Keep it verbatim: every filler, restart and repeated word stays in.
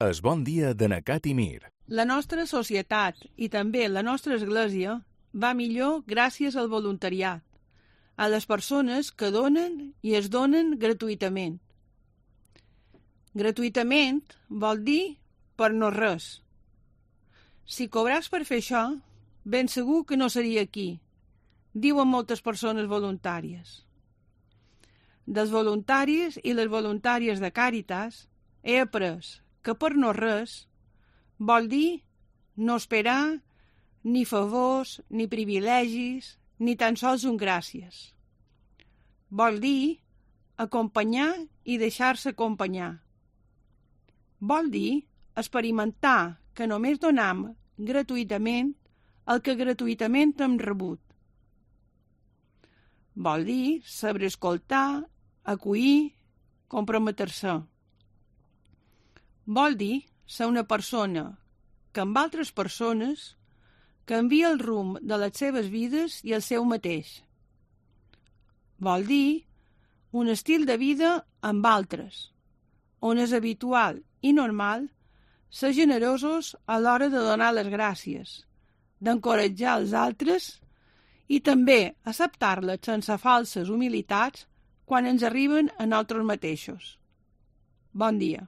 Es bon dia de Nacat i Mir. La nostra societat i també la nostra església va millor gràcies al voluntariat, a les persones que donen i es donen gratuïtament. Gratuïtament vol dir per no res. Si cobràs per fer això, ben segur que no seria aquí, diuen moltes persones voluntàries. Dels voluntaris i les voluntàries de Càritas he après que per no res vol dir no esperar ni favors, ni privilegis, ni tan sols un gràcies. Vol dir acompanyar i deixar-se acompanyar. Vol dir experimentar que només donam gratuïtament el que gratuïtament hem rebut. Vol dir saber escoltar, acollir, comprometre-se. Vol dir ser una persona que amb altres persones canvia el rumb de les seves vides i el seu mateix. Vol dir un estil de vida amb altres, on és habitual i normal ser generosos a l'hora de donar les gràcies, d'encoratjar els altres i també acceptar-les sense falses humilitats quan ens arriben a nosaltres mateixos. Bon dia.